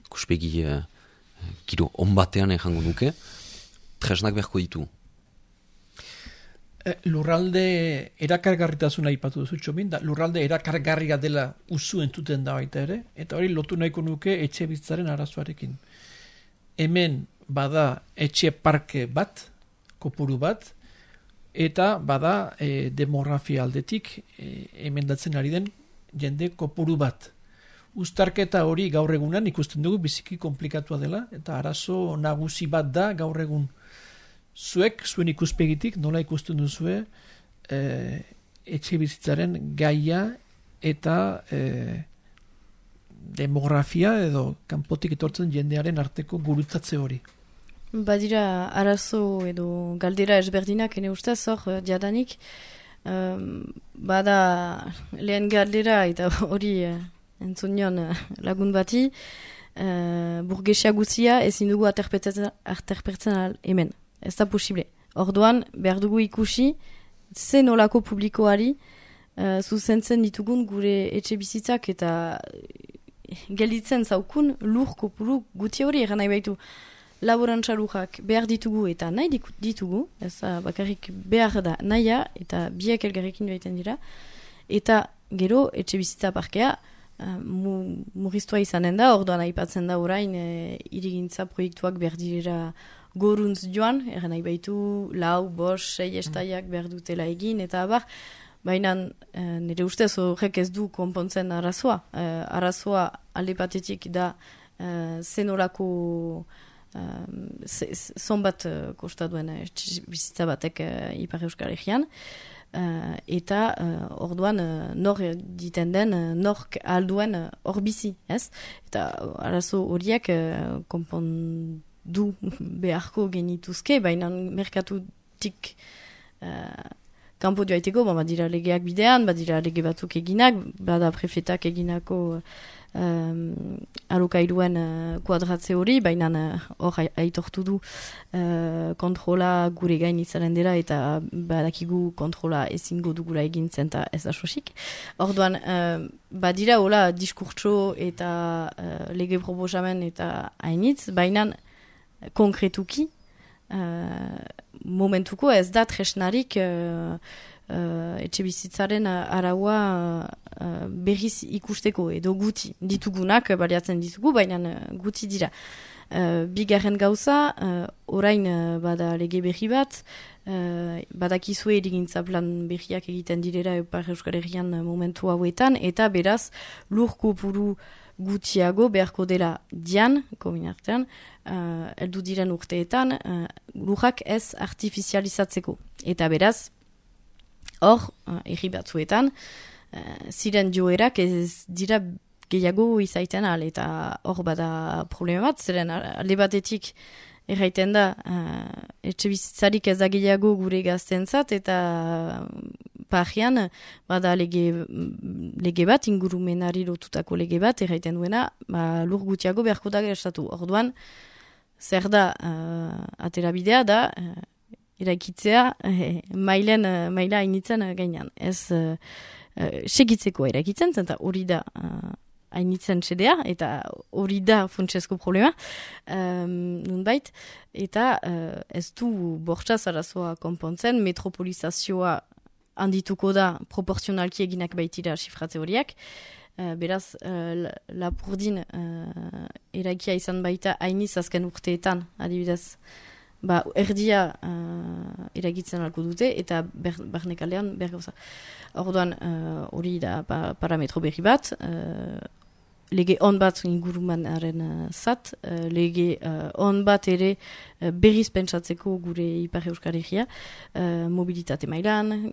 kuspegi giro onbatean ejango nuke, tresnak beharko ditu. Lurralde erakargarritasuna ipatu duzu txomin, da lurralde erakargarria dela usu entuten da baita ere, eta hori lotu nahiko nuke etxe bizitzaren arazoarekin. Hemen bada etxe parke bat, kopuru bat, eta bada demografia aldetik emendatzen ari den jende kopuru bat. Uztarketa hori gaur egunan ikusten dugu biziki komplikatua dela, eta arazo nagusi bat da gaur egun. Zuek, zuen ikuspegitik, nola ikusten duzue etxe bizitzaren gaia eta demografia edo kanpotik etortzen jendearen arteko gurutzatze hori. Badira arazo edo galdera ezberdinak ene ustez hor diadanik. Bada lehen galdera eta hori entzun nion lagun bati, burgesia guzia ezin dugu aterpertzen hemen. Ez da posible. Orduan, behar dugu ikusi, ze nolako publikoari zuzentzen ditugun gure etxe bizitzak eta gelditzen zaukun lur kopuru guti hori eran nahi baitu. Laborantza-lujak behar ditugu eta nahi ditugu, ez bakarrik behar da nahia eta biak elgarrekin baiten dira, eta gero etxe bizitza parkea murriztua izanen da, orduan aipatzen da orain irigintza proiektuak behar dira goruntz joan, erren nahi baitu, 4, 5, 6 estaiak behar dutela egin, eta abar, baina nire ustez horrek ez du konpontzen arazoa. Arazoa alde batetik da zenolako zonbat kosta duen bizitza batek Ipar Euskal Herrian, eta orduan nor diten den, nork alduen hor bizi, ez? Eta arazo horiek konpondu beharko genituzke, baina merkatutik kanpo joaiteko, badira legeak bidean, badira lege batzuk eginak, bada prefetak eginako alokairuen kuadratze hori, baina hor aitortu du kontrola gure gain izanen dela eta badakigu kontrola ezingo dugula egintzen eta ez da sosik. Orduan, badira hola diskurtso eta lege proposamen eta hainitz, baina konkretuki momentuko ez da tresnarik etxe bizitzaren araua berriz ikusteko edo guti ditugunak baliatzen ditugu, baina guti dira. Bigarren gauza, orain bada lege berri bat, badakizue erigintza plan berriak egiten direra Ipar Euskal Herrian momentu hauetan, eta beraz lur kopuru gutiago beharko dela dian, kominartean, heldu diren urteetan, lurrak ez artifizializatzeko. Eta beraz, hor, erri batzuetan, ziren joerak ez dira gehiago izaiten al, eta hor bada problema bat, zeren alde batetik erraiten da, etxe bizitzarik ez da gehiago gure gaztentzat, eta parrian, bada lege bat, ingurumenari lotutako lege bat, erraiten duena, lur gutiago beharko da gertatu. Orduan, zer da, atera bidea da, eraikitzea maila hainitzen gainean. Ez segitzeko eraikitzen, eta hori da hainitzen txedea, eta hori da funtsezko problema, nunbait, eta ez du bortxaz arazoa konpontzen, metropolizazioa handituko da proportzionalki eginak baitira sifratze horiak, beraz, Lapurdin eraikia izan baita hainiz azken urteetan, adibidez, erdia eragitzen alko dute, eta barnekaldean bergauza. Orduan, hori da parametro berri bat, lege on bat ingurumanaren zat, lege on bat ere berriz pentsatzeko gure Ipar Euskal Herria, mobilitate mailan,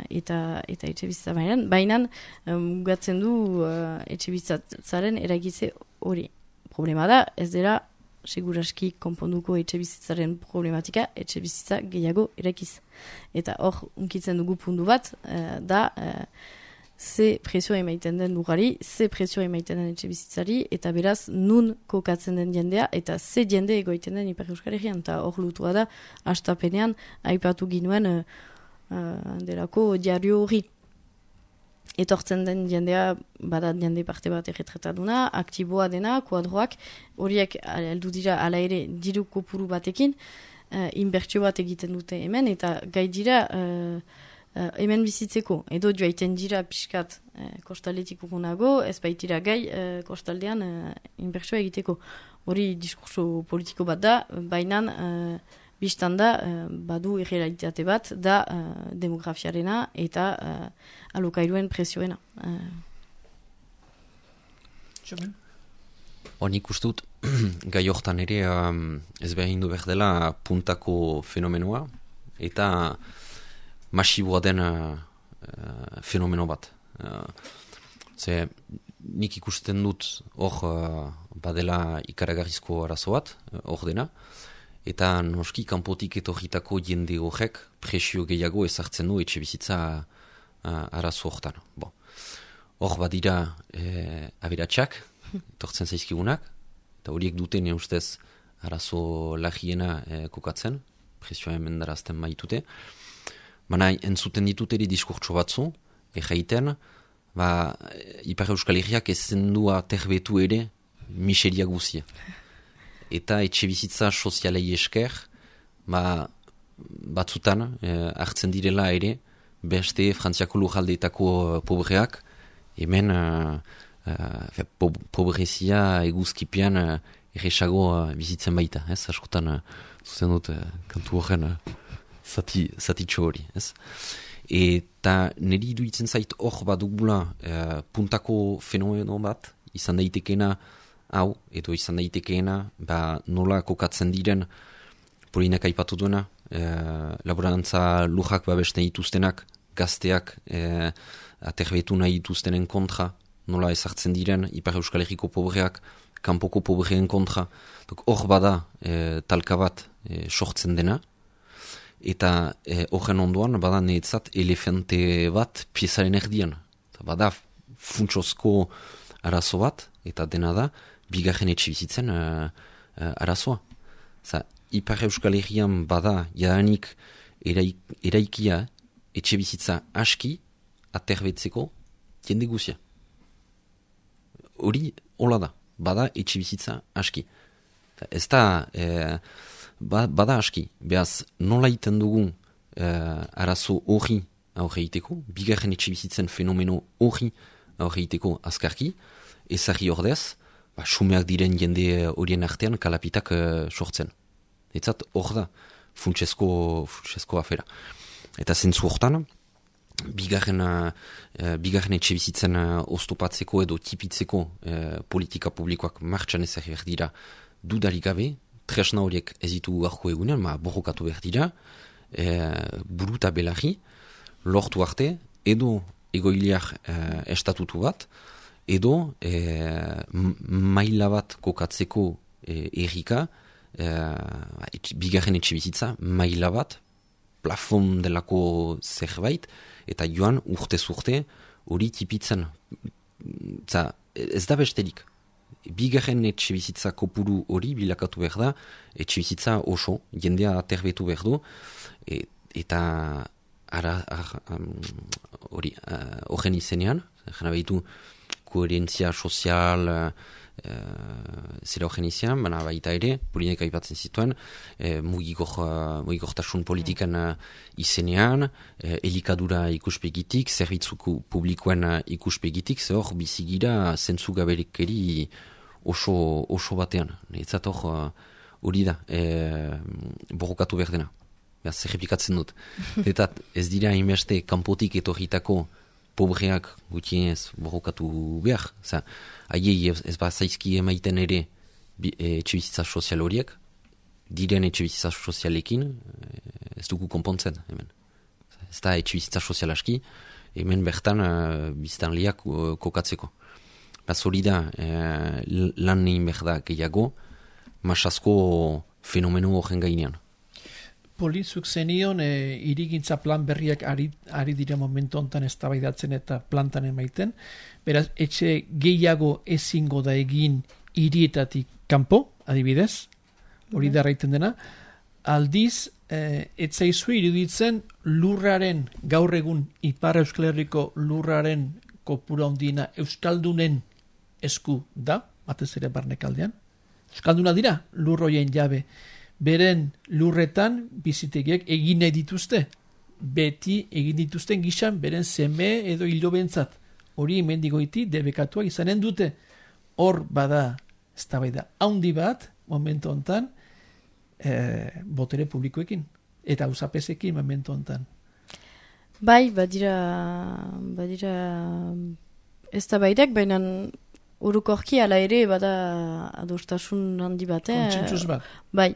eta etxe bizitza mailan, baina mugatzen du etxe bizitzaren eragitze hori. Problema da, ez dela seguraski konponduko etxe bizitzaren problematika, etxe bizitza gehiago erakiz. Eta hor, unkitzen dugu puntu bat, da ze presio emaiten den lugari, ze presio emaiten den etxe bizitzari, eta beraz, nun kokatzen den jendea, eta ze jende egoiten den Ipar Euskal Herrian. Eta hor lutua da, hastapenean, aipatu ginuen delako diario hori. Etortzen den jendea, bada jende parte bat erretrataduna, aktiboa dena, kuadroak, horiek heldu dira ala ere diru kopuru batekin, inbertsio bat egiten dute hemen, eta gai dira hemen bizitzeko. Edo joaiten dira pixkat kostaletik urgunago, ez baitira gai kostaldean inbertsioa egiteko. Hori diskurso politiko bat da, baina biztan da, badu irrealitate bat, da demografiarena eta alokairuen presioena. Nik uste dut, gai hortan ere ez behar hindu behar dela puntako fenomenoa, eta masiboa den fenomeno bat. Nik ikusten dut hor badela ikaragarrizko arazo bat, hor dena, eta noski kanpotik etorritako jende horrek presio gehiago ezartzen du etxe bizitza arazo hortan. Hor badira aberatsak, etortzen zaizkigunak, eta horiek duten ustez arazo lagiena kokatzen, presioa hemen darazten baitute. Baina entzuten ditut ere diskurtso batzu, erraiten, Ipar Euskal Herriak ezen du aterbetu ere miseria guzia. Eta etxe bizitza sozialei esker, batzutan hartzen direla ere, beste Frantziako lujaldeetako pobreak, hemen pobrezia eguzkipian erresago bizitzen baita, askotan zuzen dut kantu horren zatitxo hori, ez? Eta niri iruditzen zait hor badugula puntako fenomeno bat, izan daitekeena hau, edo izan daitekeena, nola kokatzen diren, Polinek aipatu duena, laborantza lujak babesten dituztenak, gazteak aterbetu nahi dituztenen kontra, nola ezartzen diren, Ipar Euskal Herriko pobreak, kanpoko pobreen kontra, hor bada talka bat sortzen dena, eta horren ondoan bada netzat elefante bat piezaren erdian. Bada funtsozko arazo bat, eta dena da, bigarren etxebizitzen arazoa. Ipar Euskal Herrian bada jadanik eraikia etxebizitza aski aterbetzeko jende guzia. Hori hola da, bada etxebizitza aski. Ez da... Bada aski, behaz nola iten dugun arazo hori aurre iteko, bigarren etxebizitzen fenomeno hori aurre iteko azkarki, ezari ordez, sumeak diren jende horien artean kalapitak sortzen. Etzat hor da, funtsesko afera. Eta zentzu hortan, bigarren etxebizitzen oztopatzeko edo tipitzeko politika publikoak martxan ezari behar dira dudarik gabe, tresna horiek ez ditu garko egunean, borrokatu behar dira, buru eta belarri, lortu arte, edo egoiliar estatutu bat, edo maila bat kokatzeko errika, bigarren etxebizitza, maila bat, plafon delako zerbait, eta joan urtez urte hori tipitzen. Ez da besterik. Bigarren etxebizitza kopuru hori bilakatu behar da, etxebizitza oso, jendea aterbetu behar du, eta horren izenean, jena behitu koherentzia sozial, zera horren izenean, baina baita ere, Polinek aipatzen zituen, mugigortasun politikan izenean, elikadura ikuspegitik, zerbitzuko publikoen ikuspegitik, ze hor bizigira zentzu gaberekeri oso batean. Etzat hor hori da, borrokatu behar dena. Zerrepikatzen dut. Eta ez dira inbeste kanpotik etorritako pobreak gutienez borrokatu behar. Aiei ez zaizki emaiten ere etxebizitza sozial horiek, diren etxebizitza sozialekin ez dugu konpontzen hemen. Ez da etxebizitza sozial aski, hemen bertan biztanleak kokatzeko. Hori da, lan nehin behar da gehiago, masasko fenomeno horren gainean. Polizuk zenion irigintza plan berriak ari dira momentu honetan eztabaidatzen eta plantan emaiten. Beraz, etxe gehiago ezingo da egin hirietatik kanpo, adibidez, hori da erraiten dena. Aldiz, etzaizu iruditzen lurraren, gaur egun Ipar Euskal Herriko lurraren kopura ondina Euskaldunen esku da, batez ere barnekaldean. Euskalduna dira, lurroien jabe. Beren lurretan bizitegiek egin nahi dituzte. Beti egin dituzten gizan beren seme edo hilobentzat. Hori mendigoiti debekatua izanen dute. Hor bada, eztabaida handi bat, momentu hontan, botere publikoekin. Eta usapezekin momentu hontan. Bai, badira eztabaidak, baina urukorki ala ere bada adostasun handi bat. Kontsentsuz bat. Bai,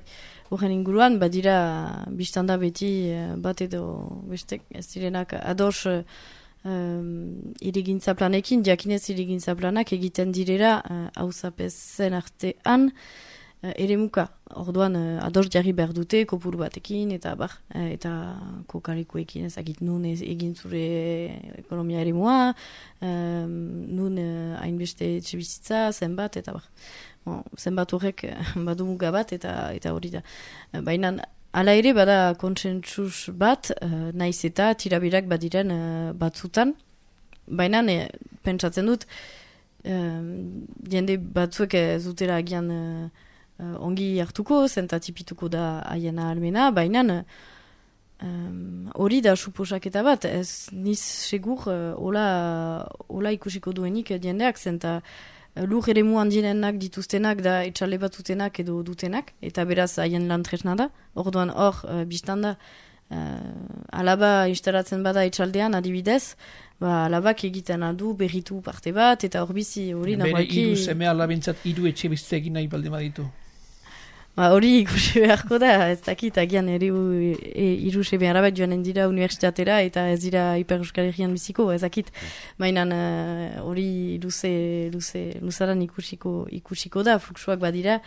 horren inguruan badira biztanda beti bat edo bestek ez direnak ados irigintza planekin, jakinez irigintza planak egiten direra auzapezen artean eremuka. Orduan ados jarri behar dute kopuru batekin eta eta kokarikoekin ezakit nun egin zure ekonomia eremua, nun hainbeste etxebizitza, zenbat eta zenbat horrek badu muga bat eta hori da. Baina hala ere bada kontsentsus bat, naiz eta tirabirak badiren batzutan, baina pentsatzen dut jende batzuek zutela agian ongi hartuko, zentatipituko da haiena almena, baina hori da suposaketa bat, ez niz segur hola ikusiko duenik jendeak, zenta lur ere muan direnak dituztenak da etxale bat dutenak edo dutenak, eta beraz haien lan tresna da. Orduan hor, biztan da, alaba instalatzen bada etxaldean adibidez, alabak egiten aldu berritu parte bat, eta hor bizi hori nagoaki... Bere 3 seme alabintzat 3 etxe bizitza egin nahi baldin baditu. Hori ikusi beharko da, ez dakit, agian 3 seme alabak joanen dira universitatera eta ez dira Ipar Euskal Herrian biziko, ez dakit. Mainan hori luzaran ikusiko da, fluxuak badira,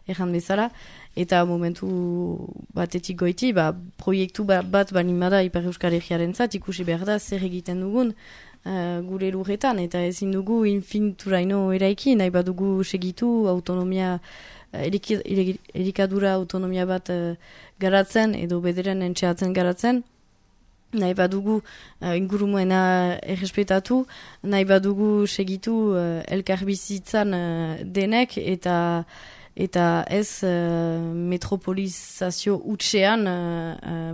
erran bezala. Eta momentu batetik goiti, proiektu bat banimada Ipar Euskal Herriaren zat, ikusi behar da zer egiten dugun gure lurretan, eta ezin dugu infinituraino eraiki, nahi badugu segitu autonomia, elikadura autonomia bat garatzen, edo bederen entxeatzen garatzen, nahi badugu ingurumuena errespetatu, nahi badugu segitu elkarbizitzan denek, eta ez metropolizazio utxean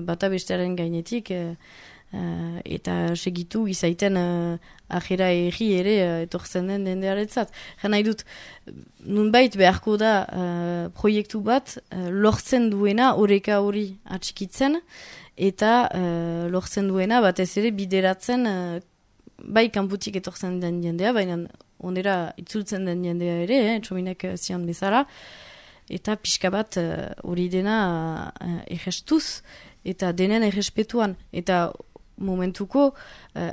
bata bestearen gainetik eta segitu izaiten ajera erri ere etortzen den dendearetzat. Nahi dut, nunbait beharko da proiektu bat lortzen duena oreka hori atxikitzen eta lortzen duena batez ere bideratzen bai kanputik etortzen den jendea, baina onera itzultzen den jendea ere, txominek zion bezala, eta pixka bat hori dena errestuz, eta denen errespetuan, eta momentuko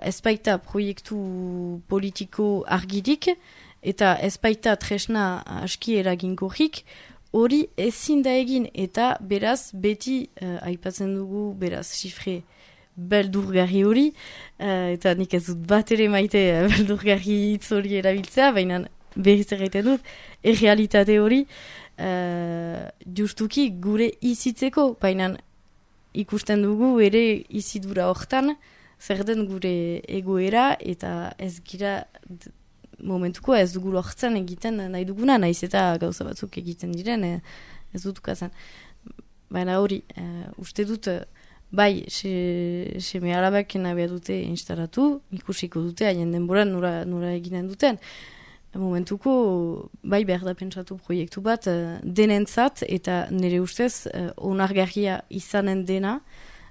ezpaita proiektu politiko argirik, eta ezpaita tresna aski eraginkorrik, hori ezin da egin, eta beraz beti aipatzen dugu, beraz xifre beldurgarri hori, eta nik ez dut bat ere maite beldurgarri hitz hori erabiltzea, baina berriz erraiten dut, errealitate hori justuki gure izitzeko, baina ikusten dugu ere izidura hortan, zer den gure egoera, eta ez gira momentuko ez dugu lortzen egiten nahi duguna, nahiz eta gauza batzuk egiten diren, ez dut ukazan. Baina hori, uste dut, bai, seme alabak nabia dute instalatu, ikusiko dute, haien denboran nora eginen duten. Momentuko, bai behar da pentsatu proiektu bat, denentzat, eta nire ustez, onargarria izanen dena,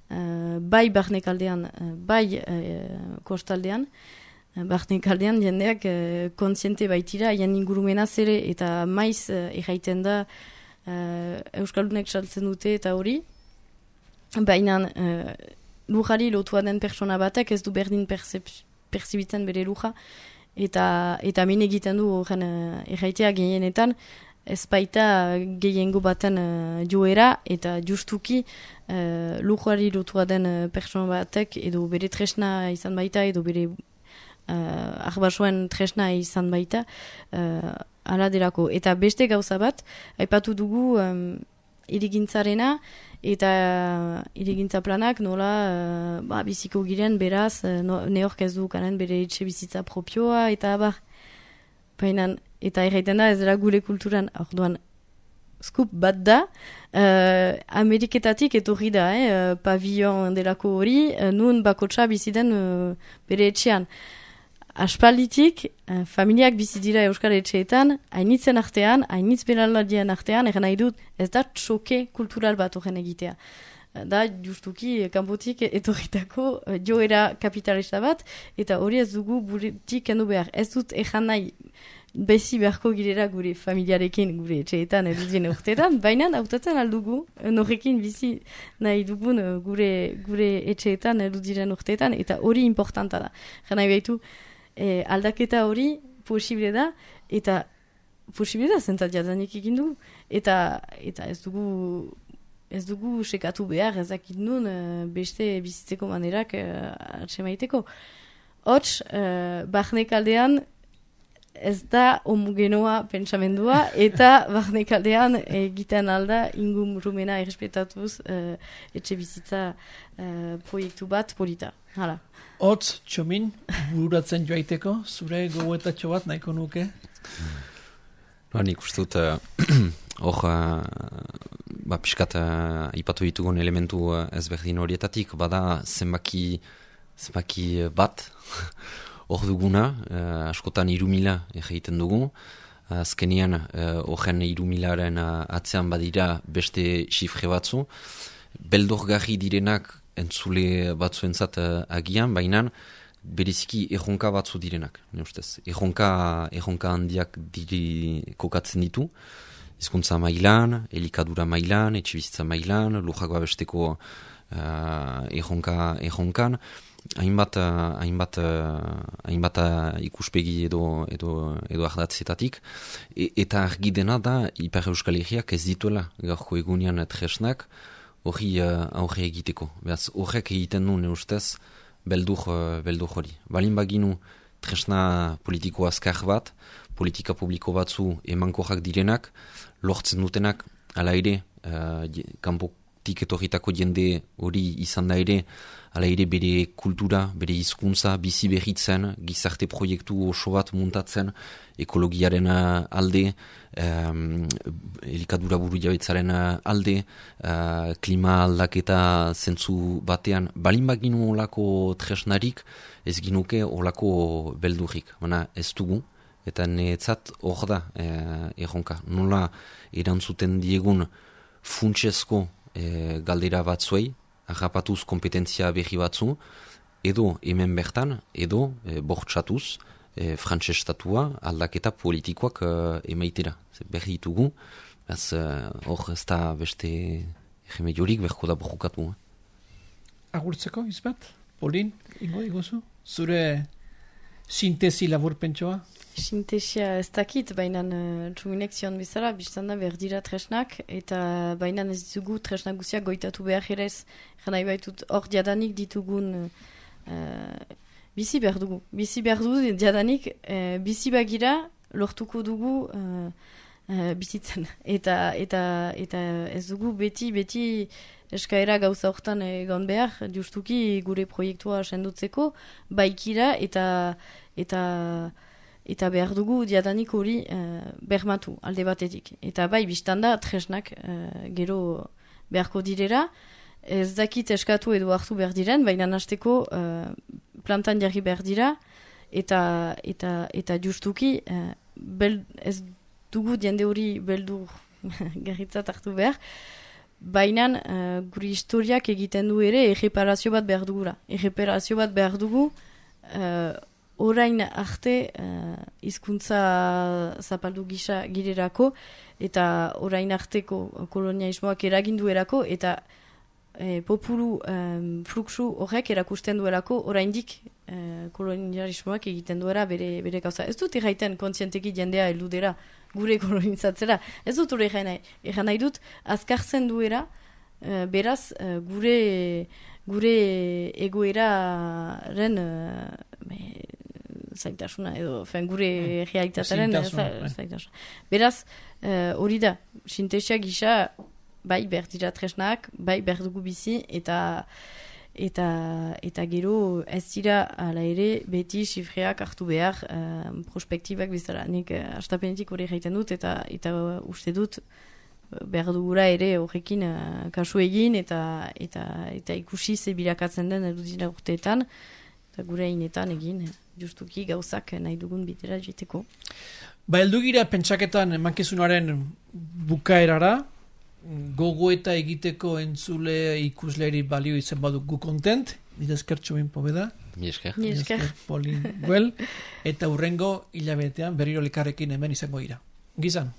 bai barnekaldean, bai kostaldean, barnekaldean jendeak kontziente baitira, haien ingurumenaz ere, eta maiz erraiten da Euskaldunek saltzen dute eta hori, baina lujari lotua den pertsona batek ez du berdin perzibitzen bere luja, eta min egiten du horren erraitea gehienetan, ez baita gehiengo baten joera, eta justuki lujari lotua den pertsona batek, edo bere tresna izan baita, edo bere arbasoen tresna izan baita, ala derako. Eta beste gauza bat, aipatu dugu irigintzarena, eta irigintza planak nola biziko giren beraz neork ez du kanen bere etxe bizitza propioa eta baina eta erraiten da ez dela gure kulturan orduan skup bat da Ameriketatik etorri da pavillon delako hori nun bakotxa biziden bere etxean aspalditik familiak bizi dira Euskal Etxeetan, hainitzen artean, hainitz beraladien artean, nahi dut, ez da txoke kultural bat horren egitea. Da justuki kanpotik etorritako joera kapitalista bat, eta hori ez dugu buretik kendu behar. Ez dut ezan nahi bezi beharko girera gure familiarekin gure etxeetan edudien urteetan, baina hautatzen aldugu, norrekin bizi nahi dugun gure etxeetan edudiren urteetan, eta hori importanta da. Nahi behitu, aldaketa hori posible da, eta posible da zentzat jadanik egin du, eta ez dugu sekatu behar ezakit nun beste bizitzeko manerak atsemaiteko. Hots, barnekaldean ez da homogenoa pentsamendua, eta barnekaldean egiten alda ingurumena errespetatuz etxe bizitza proiektu bat polita. Hala. Hots, Txomin, bururatzen joaiteko, zure gogoetatxo bat nahiko nuke? Nik uste dut, piskat ipatu ditugun elementu ezberdin horietatik, bada zenbaki bat, hor duguna, askotan 3.000 egiten dugu, azkenean horren 3.000-aren atzean badira beste xifre batzu, beldorgarri direnak entzule batzuentzat agian, baina bereziki erronka batzu direnak, ne ustez. Erronka handiak kokatzen ditu, hizkuntza mailan, elikadura mailan, etxebizitza mailan, lujak babesteko erronkan, hainbat ikuspegi edo ardatzetatik, eta argi dena da Ipar Euskal Herriak ez dituela gaurko egunean tresnak hori aurre egiteko. Beraz, horrek egiten du ne ustez beldur hori. Balin baginu tresna politiko azkar bat, politika publiko batzu emankorrak direnak, lortzen dutenak, ala ere, kanpotik etorritako jende hori izan da ere, ala ere bere kultura, bere hizkuntza bizi berritzen, gizarte proiektu oso bat muntatzen, ekologiaren alde, elikadura buru jabetzaren alde, klima aldaketa zentzu batean, balin baginu olako tresnarik, ez ginuke olako beldurrik. Baina ez dugu, eta netzat hor da erronka. Nola erantzuten diegun funtsezko galdera batzuei, agapatuz kompetentzia berri batzu, edo hemen bertan, edo bortxatuz, frantses estatua aldaketa politikoak emaitera. Berri ditugu, hor ez da beste remediorik berko da borrokatu. Agurtzeko, izbat? Polin, ingo iguzu? Zure sintesi laburpentsoa? Sintesia ez dakit, baina txuminek zion bizara, biztan da behar dira tresnak, eta baina ez ditugu tresnak guziak goitatu behar erez, jana ibaitut hor diadanik ditugun bizi behar dugu. Bizi behar dugu diadanik, bizi bagira lortuko dugu bizitzen. Eta ez dugu beti eskaera gauza hortan egon behar, justuki gure proiektua sendotzeko, baikira eta behar dugu diadanik hori bermatu alde batetik. Eta bai, biztanda, tresnak gero beharko direra, ez dakit eskatu edo hartu behar diren, baina hasteko plantan jarri behar dira, eta justuki ez dugu diende hori beldur garritzat hartu behar, baina guri historiak egiten du ere erreparazio bat behar dugula. Erreparazio bat behar dugu orain arte hizkuntza zapaldu gisa girerako eta orain arteko kolonialismoak eraginduerako eta populu fluxu horrek erakusten duelako oraindik kolonialismoak egiten duera bere gauza. Ez dut erraiten kontzienteki jendea heludera gure kolonizatzera. Ez dut hori erran nahi dut azkartzen duera beraz gure egoeraren zaitasuna edo gure realitataren zaitasuna. Beraz, hori da, sintesia gisa bai behar dira tresnak, bai behar dugu bizi eta gero ez dira ala ere beti xifreak hartu behar prospektibak bizara. Nik astapenetik hori egiten dut eta uste dut behar dugura ere horrekin kasu egin eta ikusi ze bilakatzen den edudina urteetan eta gure inetan egin justuki gauzak nahi dugun bitera jiteko. Ba, heldugira pentsaketan mankizunaren bukaerara, gogoeta egiteko entzule ikusleri balio izan baduk gu kontent, nire eskertxo bin pobeda. Mi esker. Polin Güell, eta hurrengo hilabetean berriro elkarrekin hemen izango gira. Gizan.